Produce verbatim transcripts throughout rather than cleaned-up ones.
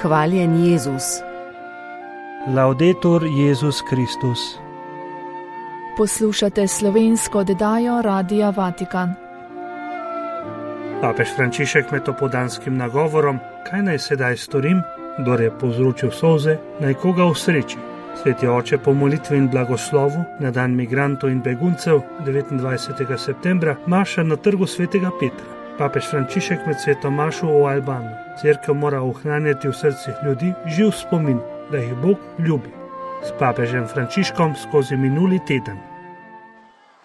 Hvaljen Jezus. Laudetur Jezus Kristus. Poslušate slovensko oddajo Radia Vatikan. Papež Frančišek med opoldanskim nagovorom, kaj naj sedaj storim, kdor je povzročil solze, naj koga usreči. Sveti oče po molitvi in blagoslovu na dan migrantov in beguncev devetindvajsetega septembra maša na trgu svetega Petra. Papež Frančišek med sveto mašo o Albanu. Cerkev mora ohranjati v srcih ljudi živ spomin, da jih Bog ljubi. S papežem Frančiškom skozi minuli teden.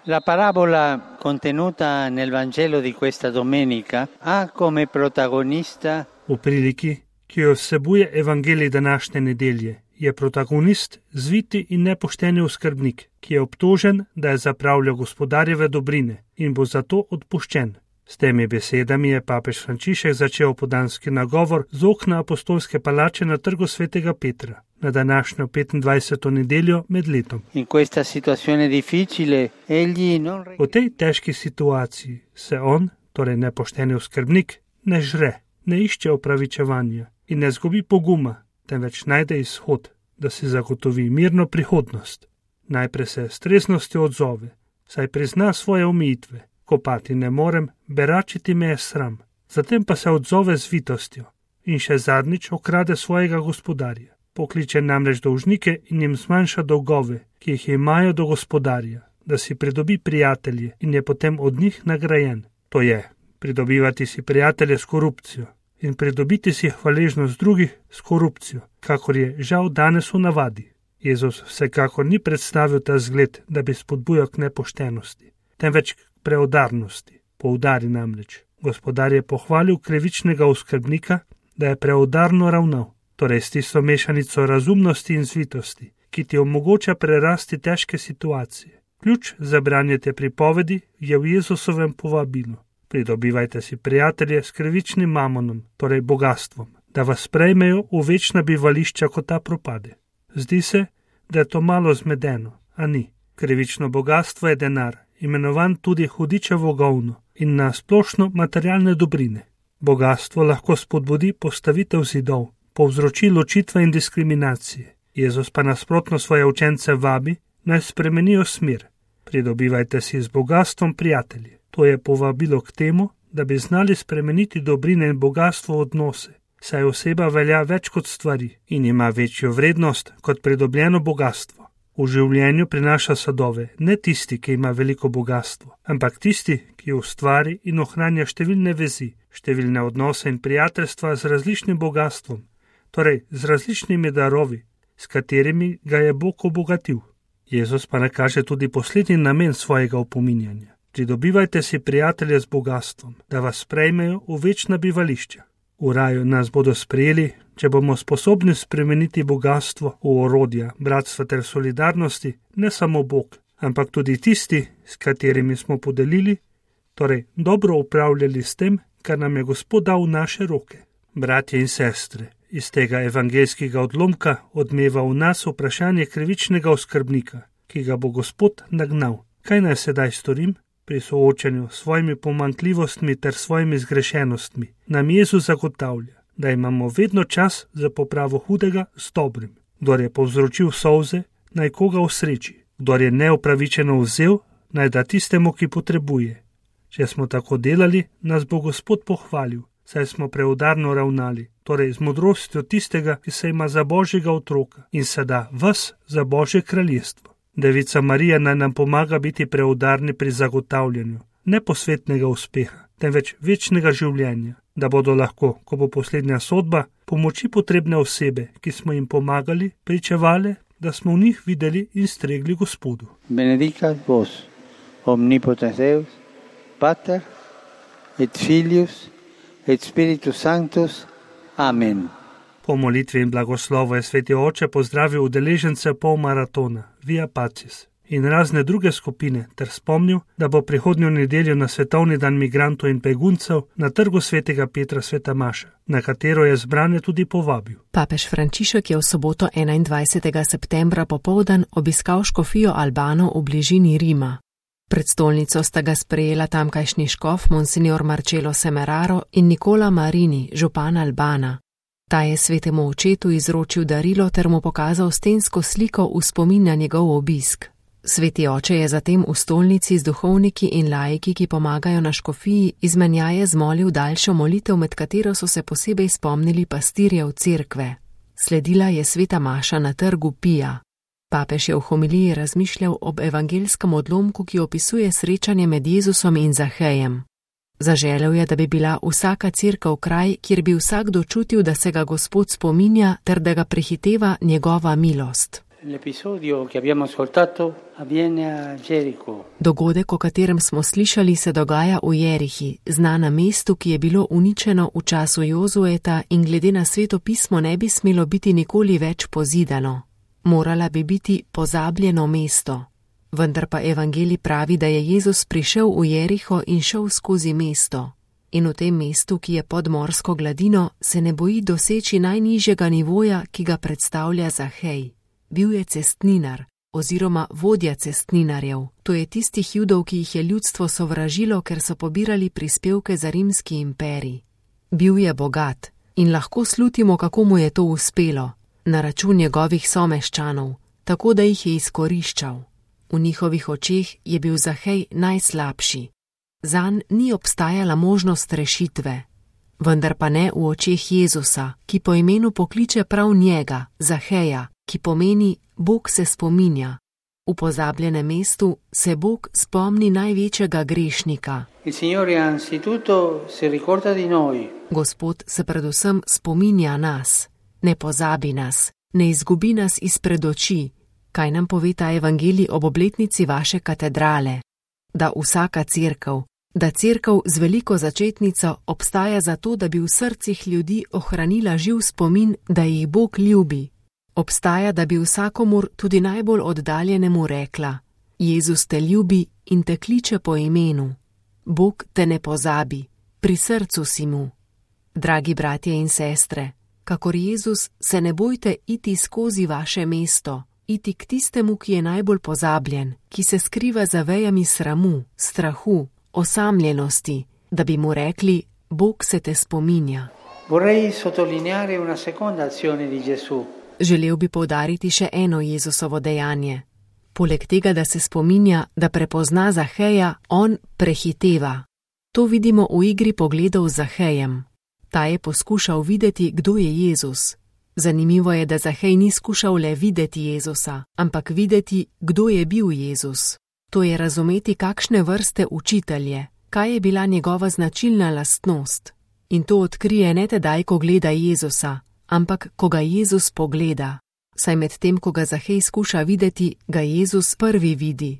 La parabola contenuta nel Vangelo di questa domenica ha come protagonista V priliki, ki jo vsebuje evangelij današnje nedelje, je protagonist zviti in nepošteni oskrbnik, ki je obtožen, da je zapravljal gospodarjeve dobrine in bo zato odpuščen. S temi besedami je papež Frančišek začel opoldanski nagovor z okna apostolske palače na trgu svetega Petra na današnjo petindvajseto nedeljo med letom. in questa situazione difficile egli non V tej težki situaciji se on, torej nepošteni oskrbnik, ne žre, ne išče opravičevanja in ne zgubi poguma, temveč najde izhod, da si zagotovi mirno prihodnost. Najprej se s treznostjo odzove, saj prizna svoje omejitve. Kopati ne morem, beračiti me je sram. Zatem pa se odzove z vitostjo in še zadnjič okrade svojega gospodarja. Pokliče namreč dolžnike in jim zmanjša dolgove, ki jih imajo do gospodarja, da si pridobi prijatelje in je potem od njih nagrajen. To je, pridobivati si prijatelje s korupcijo in pridobiti si hvaležnost drugih s korupcijo, kakor je žal danes v navadi. Jezus vsekakor ni predstavil ta zgled, da bi spodbujal k nepoštenosti, temveč k preudarnosti. Poudari namreč. Gospodar je pohvalil krivičnega oskrbnika, da je preudarno ravnal, torej s tisto mešanico razumnosti in zvitosti, ki ti omogoča prerasti težke situacije. Ključ za branje te pripovedi je v Jezusovem povabilu. Pridobivajte si prijatelje s krivičnim mamonom, torej bogastvom, da vas sprejmejo v večna bivališča, ko ta propade. Zdi se, da je to malo zmedeno, a ni. Krivično bogastvo je denar, imenovan tudi hudičevo govno in na splošno materialne dobrine. Bogastvo lahko spodbudi postavitev zidov, povzroči ločitve in diskriminacije. Jezus pa nasprotno svoje učence vabi, naj spremenijo smer. Pridobivajte si z bogastvom prijatelje. To je povabilo k temu, da bi znali spremeniti dobrine in bogastvo v odnose, saj oseba velja več kot stvari in ima večjo vrednost kot pridobljeno bogastvo. V življenju prinaša sadove ne tisti, ki ima veliko bogastvo, ampak tisti, ki ustvari in ohranja številne vezi, številne odnose in prijateljstva z različnim bogatstvom, torej z različnimi darovi, s katerimi ga je Bog obogatil. Jezus pa nakaže tudi poslednji namen svojega opominjanja. Pridobivajte si prijatelje z bogatstvom, da vas sprejmejo v večna bivališča. V raju nas bodo sprejeli, če bomo sposobni spremeniti bogatstvo v orodja bratstva ter solidarnosti, ne samo Bog, ampak tudi tisti, s katerimi smo podelili, torej dobro upravljali s tem, kar nam je Gospod dal v naše roke. Bratje in sestre, iz tega evangeljskega odlomka odmeva v nas vprašanje krivičnega oskrbnika, ki ga bo Gospod nagnal. Kaj naj sedaj storim? Pri soočanju s svojimi pomanjkljivostmi ter svojimi zgrešenostmi nam Jezus zagotavlja, da imamo vedno čas za popravo hudega s dobrim. Kdor je povzročil solze, naj koga usreči. Kdor je neupravičeno vzel, naj da tistemu, ki potrebuje. Če smo tako delali, nas bo Gospod pohvalil, saj smo preudarno ravnali, torej z modrostjo tistega, ki se ima za Božjega otroka in se da vas za Božje kraljestvo. Devica Marija naj nam pomaga biti preudarni pri zagotavljanju ne posvetnega uspeha, temveč večnega življenja, da bodo lahko, ko bo poslednja sodba, pomoči potrebne osebe, ki smo jim pomagali, pričevale, da smo v njih videli in stregli Gospodu. benedicat vos, omnipotens Deus, Pater et Filius et Spiritus Sanctus. Amen. Po molitvi in blagoslovu je sveti oče pozdravil udeležence pol maratona Via Pacis in razne druge skupine ter spomnil, da bo prihodnjo nedeljo na svetovni dan migrantov in beguncev na trgu svetega Petra sveta maša, na katero je zbrane tudi povabil. Papež Frančišek je v soboto enaindvajsetega septembra popoldan obiskal škofijo Albano v bližini Rima. Pred stolnico sta ga sprejela tamkajšnji škof Monsignor Marcello Semeraro in Nicola Marini, župan Albana. Ta je svetemu očetu izročil darilo ter mu pokazal stensko sliko v spomin na njegov obisk. Sveti oče je zatem v stolnici z duhovniki in laiki, ki pomagajo na škofiji, izmenjaje zmolil daljšo molitev, med katero so se posebej spomnili pastirjev cerkve. Sledila je sveta maša na trgu Pija. Papež je v homiliji razmišljal ob evangelskem odlomku, ki opisuje srečanje med Jezusom in Zahejem. Zaželel je, da bi bila vsaka cerkev kraj, kjer bi vsakdo čutil, da se ga Gospod spominja ter da ga prehiteva njegova milost. Dogodek, o katerem smo slišali, se dogaja v Jerihi, znanem mestu, ki je bilo uničeno v času Jozueta in glede na Sveto pismo ne bi smelo biti nikoli več pozidano. Morala bi biti pozabljeno mesto. Vendar pa evangelij pravi, da je Jezus prišel v Jeriho in šel skozi mesto. In v tem mestu, ki je pod morsko gladino, se ne boji doseči najnižjega nivoja, ki ga predstavlja Zahej. Bil je cestninar oziroma vodja cestninarjev. To je tistih Judov, ki jih je ljudstvo sovražilo, ker so pobirali prispevke za rimski imperij. Bil je bogat in lahko slutimo, kako mu je to uspelo, na račun njegovih someščanov, tako da jih je izkoriščal. V njihovih očeh je bil Zahej najslabši. Zanj ni obstajala možnost rešitve. Vendar pa ne v očeh Jezusa, ki po imenu pokliče prav njega, Zaheja, ki pomeni Bog se spominja. V pozabljenem mestu se Bog spomni največjega grešnika. Gospod se predvsem spominja nas, ne pozabi nas, ne izgubi nas izpred oči. Kaj nam pove ta evangelij ob obletnici vaše katedrale? Da vsaka cerkev, da cerkev z veliko začetnico obstaja zato, da bi v srcih ljudi ohranila živ spomin, da jih Bog ljubi. Obstaja, da bi vsakomur, tudi najbolj oddaljenemu, rekla: Jezus te ljubi in te kliče po imenu. Bog te ne pozabi, pri srcu si mu. Dragi bratje in sestre, kakor Jezus, se ne bojte iti skozi vaše mesto, iti k tistemu, ki je najbolj pozabljen, ki se skriva za vejami sramu, strahu, osamljenosti, da bi mu rekli: Bog se te spominja. Vorrei sottolineare una seconda azione di Gesù. Želel bi poudariti še eno Jezusovo dejanje. Poleg tega, da se spominja, da prepozna Zaheja, on prehiteva. To vidimo v igri pogledov z Zahejem. Ta je poskušal videti, kdo je Jezus. Zanimivo je, da Zahej ni skušal le videti Jezusa, ampak videti, kdo je bil Jezus. To je razumeti, kakšne vrste učitelje, kaj je bila njegova značilna lastnost. In to odkrije ne tedaj, ko gleda Jezusa, ampak ko ga Jezus pogleda. Saj med tem, ko ga Zahej skuša videti, ga Jezus prvi vidi.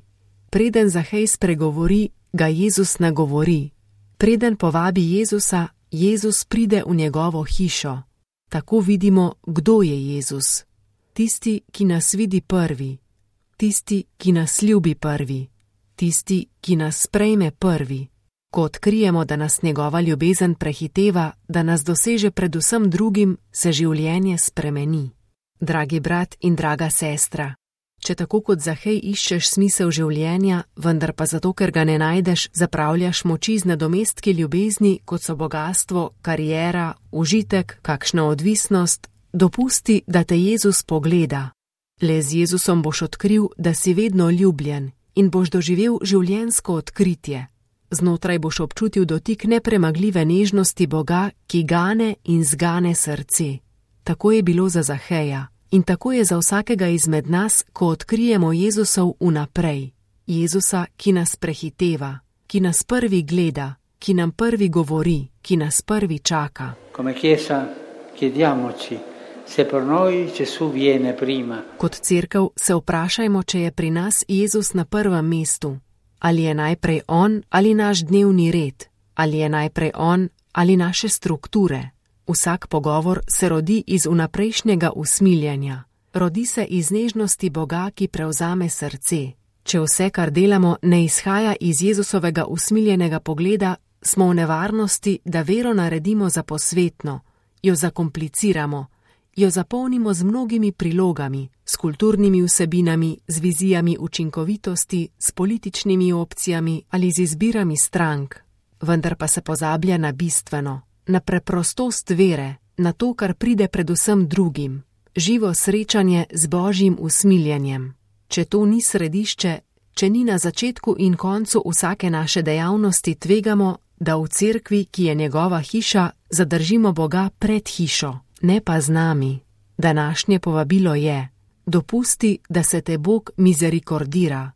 Preden Zahej spregovori, ga Jezus nagovori. Preden povabi Jezusa, Jezus pride v njegovo hišo. Tako vidimo, kdo je Jezus. Tisti, ki nas vidi prvi. Tisti, ki nas ljubi prvi. Tisti, ki nas sprejme prvi. Ko odkrijemo, da nas njegova ljubezen prehiteva, da nas doseže predvsem drugim, se življenje spremeni. Dragi brat in draga sestra, če tako kot Zahej iščeš smisel življenja, vendar pa zato, ker ga ne najdeš, zapravljaš moči z nadomestki ljubezni, kot so bogastvo, kariera, užitek, kakšna odvisnost, dopusti, da te Jezus pogleda. Le z Jezusom boš odkril, da si vedno ljubljen in boš doživel življenjsko odkritje. Znotraj boš občutil dotik nepremagljive nežnosti Boga, ki gane in zgane srce. Tako je bilo za Zaheja in tako je za vsakega izmed nas, ko odkrijemo Jezusov vnaprej. Jezusa, ki nas prehiteva, ki nas prvi gleda, ki nam prvi govori, ki nas prvi čaka. Come Chiesa chiediamoci se per noi Gesù viene prima. Kot cerkev se vprašajmo, če je pri nas Jezus na prvem mestu. Ali je najprej on ali naš dnevni red, ali je najprej on ali naše strukture. Vsak pogovor se rodi iz vnaprejšnjega usmiljenja, rodi se iz nežnosti Boga, ki prevzame srce. Če vse, kar delamo, ne izhaja iz Jezusovega usmiljenega pogleda, smo v nevarnosti, da vero naredimo za posvetno, jo zakompliciramo, jo zapolnimo z mnogimi prilogami, s kulturnimi vsebinami, z vizijami učinkovitosti, s političnimi opcijami ali z izbirami strank. Vendar pa se pozablja na bistveno, na preprostost vere, na to, kar pride predvsem drugim, živo srečanje z Božjim usmiljenjem. Če to ni središče, če ni na začetku in koncu vsake naše dejavnosti, tvegamo, da v cerkvi, ki je njegova hiša, zadržimo Boga pred hišo, ne pa z nami. Današnje povabilo je: dopusti, da se te Bog mizerikordira,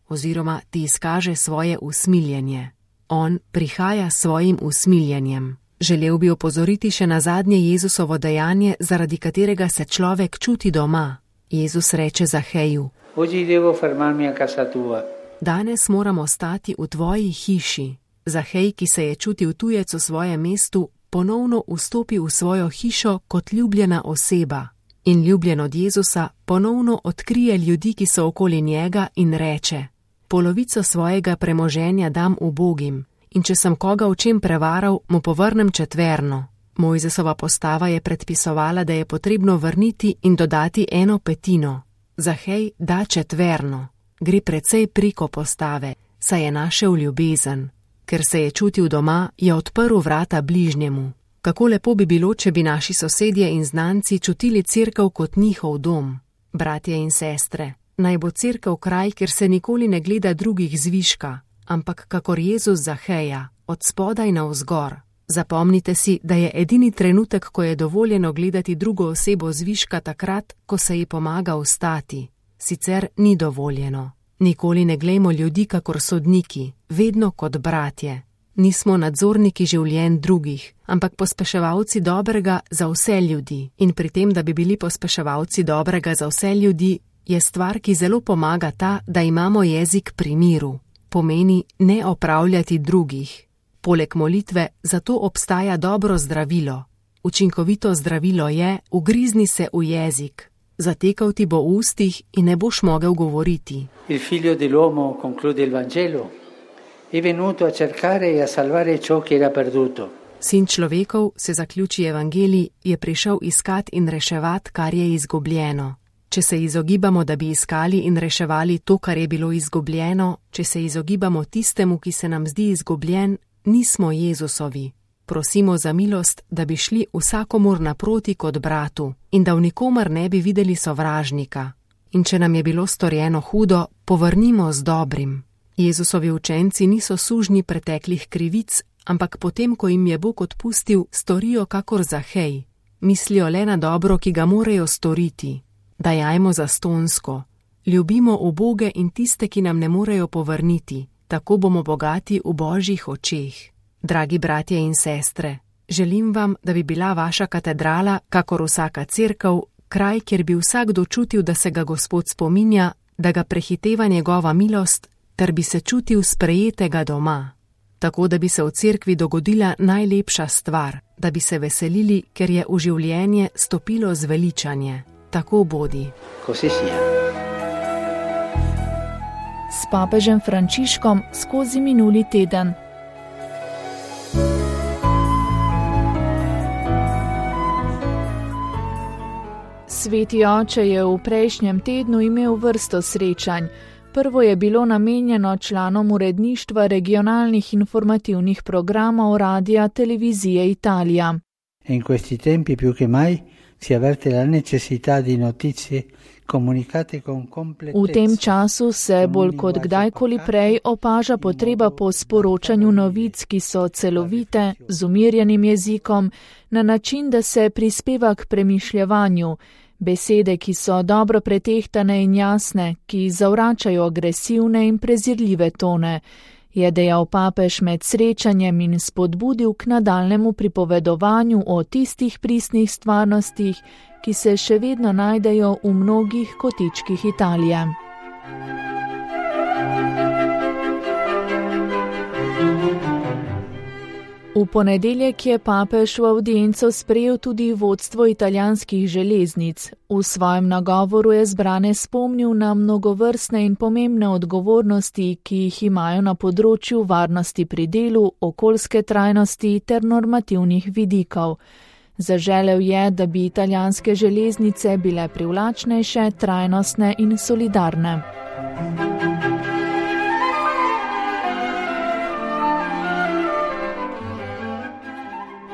oziroma ti izkaže svoje usmiljenje. On prihaja s svojim usmiljenjem. Želel bi opozoriti še na zadnje Jezusovo dejanje, zaradi katerega se človek čuti doma. Jezus reče Zaheju: Oggi devo fermarmi a casa tua. Danes moramo stati v tvoji hiši. Zahej, ki se je čutil tujec v svojem mestu, ponovno vstopi v svojo hišo kot ljubljena oseba. In ljubljen od Jezusa ponovno odkrije ljudi, ki so okoli njega, in reče: polovico svojega premoženja dam ubogim, in če sem koga v čem prevaral, mu povrnem četverno. Mojzesova postava je predpisovala, da je potrebno vrniti in dodati eno petino. Zahej da četverno. Gre precej preko postave, saj je našel ljubezen. Ker se je čutil doma, je odprl vrata bližnjemu. Kako lepo bi bilo, če bi naši sosedje in znanci čutili cerkev kot njihov dom. Bratje in sestre, naj bo cerkev kraj, kjer se nikoli ne gleda drugih zviška, ampak kakor Jezus Zaheja, od spodaj navzgor. Zapomnite si, da je edini trenutek, ko je dovoljeno gledati drugo osebo zviška, takrat, ko se ji pomaga vstati. Sicer ni dovoljeno. Nikoli ne glejmo ljudi kakor sodniki, vedno kot bratje. Nismo nadzorniki življenj drugih, ampak pospeševalci dobrega za vse ljudi. In pri tem, da bi bili pospeševalci dobrega za vse ljudi, je stvar, ki zelo pomaga ta, da imamo jezik pri miru. Pomeni ne opravljati drugih. Poleg molitve zato obstaja dobro zdravilo. Učinkovito zdravilo je: ugrizni se v jezik. Zatekal ti bo v ustih in ne boš mogel govoriti. Il figlio dell'uomo, conclude il Vangelo, è venuto a cercare e a salvare ciò che era perduto. Sin človekov, se zaključi evangelij, je prišel iskat in reševat, kar je izgubljeno. Če se izogibamo, da bi iskali in reševali to, kar je bilo izgubljeno, če se izogibamo tistemu, ki se nam zdi izgubljen, nismo Jezusovi. Prosimo za milost, da bi šli vsakomur naproti kot bratu in da v nikomer ne bi videli sovražnika. In če nam je bilo storjeno hudo, povrnimo z dobrim. Jezusovi učenci niso sužnji preteklih krivic, ampak potem, ko jim je Bog odpustil, storijo kakor Zahej. Mislijo le na dobro, ki ga morajo storiti. Dajajmo zastonsko. Ljubimo uboge in tiste, ki nam ne morejo povrniti. Tako bomo bogati v Božjih očeh. Dragi bratje in sestre, želim vam, da bi bila vaša katedrala, kakor vsaka cerkev, kraj, kjer bi vsakdo čutil, da se ga Gospod spominja, da ga prehiteva njegova milost, ter bi se čutil sprejetega doma. Tako, da bi se v cerkvi dogodila najlepša stvar, da bi se veselili, ker je v življenje stopilo zveličanje. Tako bodi. Così sia. S papežem Frančiškom skozi minuli teden. Sveti oče je v prejšnjem tednu imel vrsto srečanj. Prvo je bilo namenjeno članom uredništva regionalnih informativnih programov Radia Televizije Italija. In questi tempi più che mai si avverte la necessità di notizie comunicate con completezza. V tem času se bolj kot kdajkoli prej opaža potreba po sporočanju novic, ki so celovite, z umirjenim jezikom, na način, da se prispeva k premišljevanju. Besede, ki so dobro pretehtane in jasne, ki zavračajo agresivne in prezirljive tone, je dejal papež med srečanjem in spodbudil k nadaljnemu pripovedovanju o tistih pristnih stvarnostih, ki se še vedno najdejo v mnogih kotičkih Italije. V ponedeljek je papež v avdienco sprejel tudi vodstvo italijanskih železnic. V svojem nagovoru je zbrane spomnil na mnogovrstne in pomembne odgovornosti, ki jih imajo na področju varnosti pri delu, okoljske trajnosti ter normativnih vidikov. Zaželel je, da bi italijanske železnice bile privlačnejše, trajnostne in solidarne.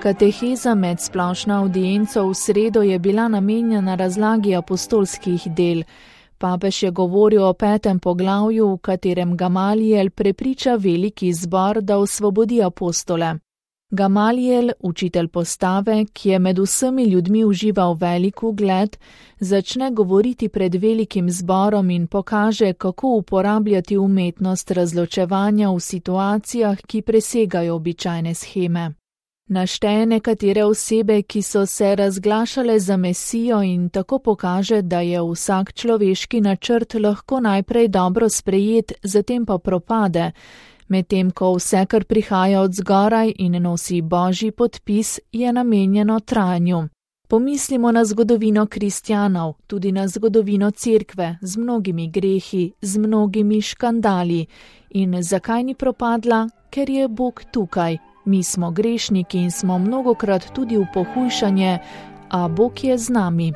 Kateheza med splošno audienco v sredo je bila namenjena razlagi apostolskih del. Papež je govoril o petem poglavju, v katerem Gamaliel prepriča veliki zbor, da osvobodi apostole. Gamaliel, učitelj postave, ki je med vsemi ljudmi užival velik ugled, začne govoriti pred velikim zborom in pokaže, kako uporabljati umetnost razločevanja v situacijah, ki presegajo običajne sheme. Našteje nekatere osebe, ki so se razglašale za Mesijo in tako pokaže, da je vsak človeški načrt lahko najprej dobro sprejet, zatem pa propade, medtem ko vse, kar prihaja od zgoraj in nosi božji podpis, je namenjeno trajanju. Pomislimo na zgodovino kristjanov, tudi na zgodovino cerkve, z mnogimi grehi, z mnogimi škandali. In zakaj ni propadla? Ker je Bog tukaj. Mi smo grešniki in smo mnogokrat tudi v pohujšanje, a Bog je z nami.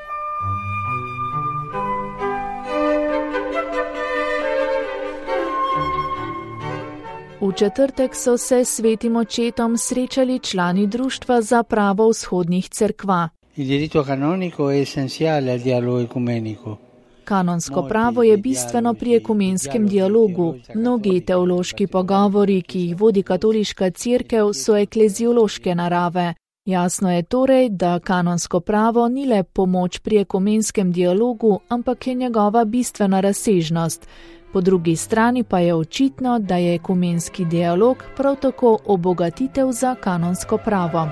V četrtek so se s svetim očetom srečali člani Društva za pravo vzhodnih cerkva. Il diritto canonico è essenziale al dialogo ecumenico. Kanonsko pravo je bistveno pri ekumenskem dialogu. Mnogi teološki pogovori, ki jih vodi katoliška cerkev, so ekleziološke narave. Jasno je torej, da kanonsko pravo ni le pomoč pri ekumenskem dialogu, ampak je njegova bistvena razsežnost. Po drugi strani pa je očitno, da je ekumenski dialog prav tako obogatitev za kanonsko pravo.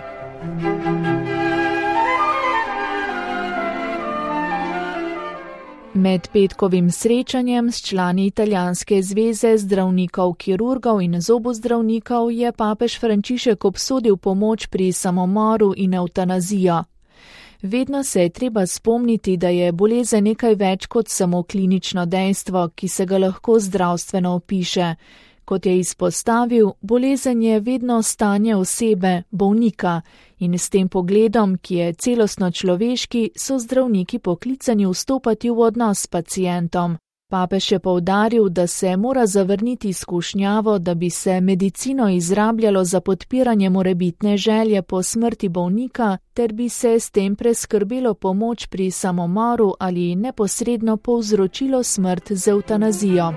Med petkovim srečanjem s člani Italijanske zveze zdravnikov, kirurgov in zobozdravnikov je papež Frančišek obsodil pomoč pri samomoru in evtanazijo. Vedno se je treba spomniti, da je bolezen nekaj več kot samo klinično dejstvo, ki se ga lahko zdravstveno opiše. Kot je izpostavil, bolezen je vedno stanje osebe, bolnika, in s tem pogledom, ki je celostno človeški, so zdravniki poklicani vstopati v odnos s pacientom. Papež je poudaril, da se mora zavrniti skušnjavo, da bi se medicino izrabljalo za podpiranje morebitne želje po smrti bolnika, ter bi se s tem preskrbelo pomoč pri samomoru ali neposredno povzročilo smrt z evtanazijo.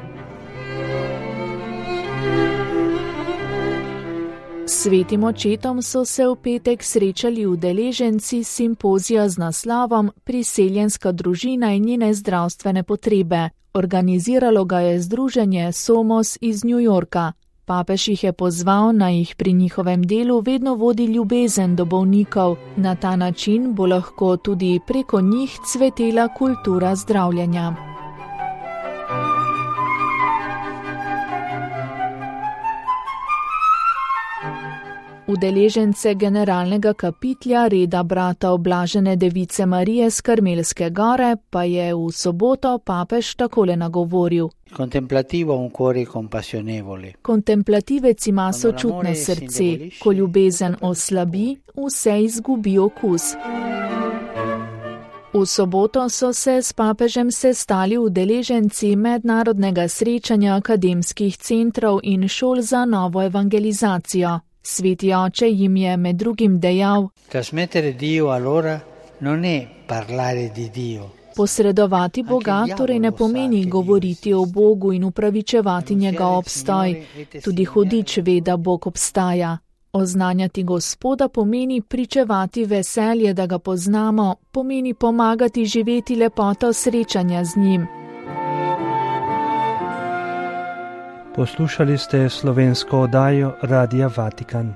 S svetim očetom so se v petek srečali udeleženci simpozija z naslovom Priseljenska družina in njene zdravstvene potrebe. Organiziralo ga je združenje Somos iz New Yorka. Papež jih je pozval, naj jih pri njihovem delu vedno vodi ljubezen do bolnikov. Na ta način bo lahko tudi preko njih cvetela kultura zdravljenja. Udeležence generalnega kapitlja reda brata Oblažene device Marije s Karmelske gore pa je v soboto papež takole nagovoril. Kontemplativec ima sočutno srce, ko ljubezen oslabi, vse izgubi okus. V soboto so se s papežem sestali udeleženci mednarodnega srečanja akademskih centrov in šol za novo evangelizacijo. Sveti oče jim je med drugim dejal: posredovati Boga torej ne pomeni govoriti o Bogu in upravičevati njegov obstoj, tudi hudič ve, da Bog obstaja. Oznanjati Gospoda pomeni pričevati veselje, da ga poznamo, pomeni pomagati živeti lepoto srečanja z njim. Poslušali ste slovensko oddajo Radia Vatikan.